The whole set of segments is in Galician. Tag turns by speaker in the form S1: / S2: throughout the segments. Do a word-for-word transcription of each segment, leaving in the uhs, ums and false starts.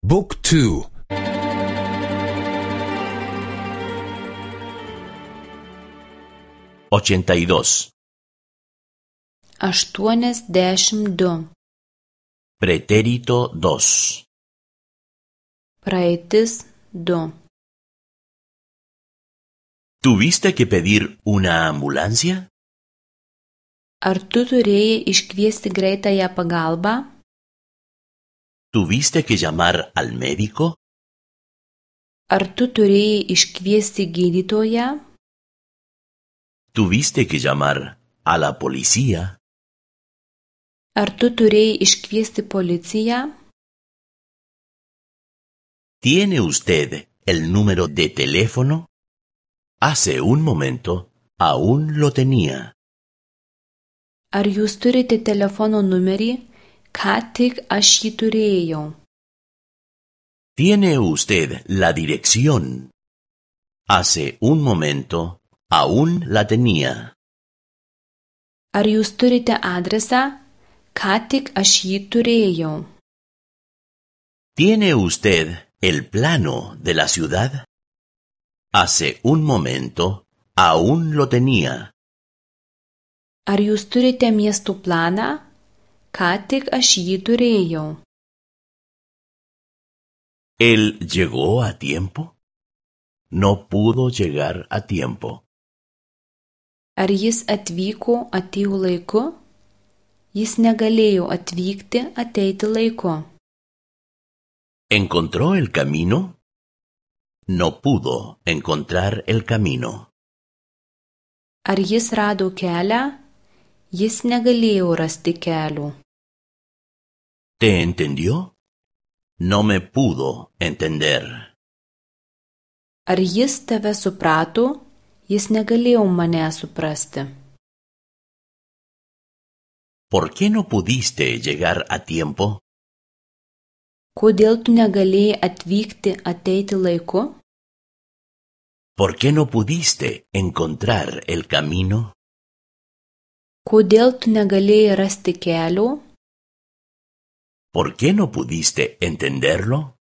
S1: Book two.
S2: ochenta y dos.
S3: aštuoniasdešimt du.
S2: Pretérito dos.
S3: Praeitis du.
S2: ¿Tuviste que pedir una ambulancia?
S3: Ar tu turėjai iškviesti greitąją pagalbą?
S2: ¿Tuviste que llamar al médico?
S3: Ar tu turėjai iškviesti gydytoją?
S2: ¿Tuviste que llamar a la policía?
S3: Ar tu turėjai iškviesti policiją?
S2: ¿Tiene usted el número de teléfono? Hace un momento aún lo tenía.
S3: Ar jūs turite telefono numerį? Ką tik aš jį turėjau.
S2: ¿Tiene usted la dirección? Hace un momento aún la tenía.
S3: Ar jūs turite adresą? Ką tik aš jį turėjau.
S2: ¿Tiene usted el plano de la ciudad? Hace un momento aún lo tenía.
S3: Ar jūs turite miesto planą? Ką tik aš jį turėjau.
S2: ¿Él llegó a tiempo? No pudo llegar a tiempo.
S3: Ar jis atvyko atėjo laiku? Jis negalėjo atvykti ateiti laiku.
S2: ¿Encontró el camino? No pudo encontrar el camino.
S3: Ar jis rado kelią? Jis negalėjo rasti kelio.
S2: ¿Te entendió? No me pudo entender.
S3: Ar jis tave suprato? Jis negalėjo mane suprasti.
S2: ¿Por qué no pudiste llegar a tiempo?
S3: Kodėl tu negalėjai atvykti ateiti laiku?
S2: ¿Por qué no pudiste encontrar el camino?
S3: Kodėl tu negalėjai rasti kelio?
S2: ¿Por qué no pudiste entenderlo?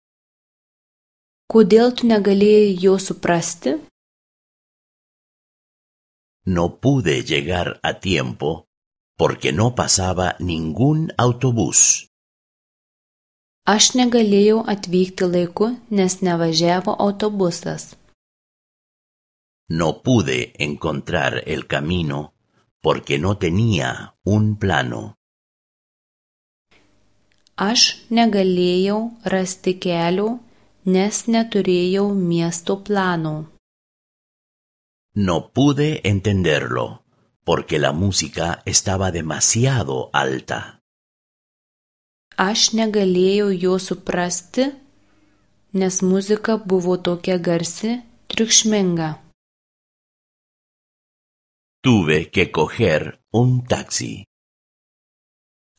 S3: Kodėl tu negalėjai jo suprasti?
S2: No pude llegar a tiempo porque no pasaba ningún autobús.
S3: Aš negalėjau atvykti laiku, nes nevažiavo autobusas.
S2: No pude encontrar el camino porque no tenía un plano.
S3: Aš negalėjau rasti kelio, nes neturėjau miesto plano.
S2: No pude entenderlo porque la música estaba demasiado alta.
S3: Aš negalėjau jo suprasti, nes muzika buvo tokia garsi, triukšminga.
S2: Tuve que coger un taxi.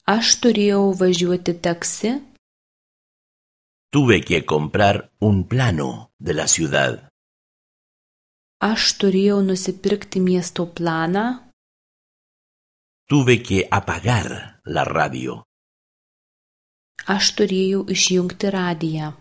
S3: Aš turėjau važiuoti taksi.
S2: Tuve que comprar un plano de la ciudad.
S3: Aš turėjau nusipirkti miesto planą.
S2: Tuve que apagar la radio.
S3: Aš turėjau išjungti radiją.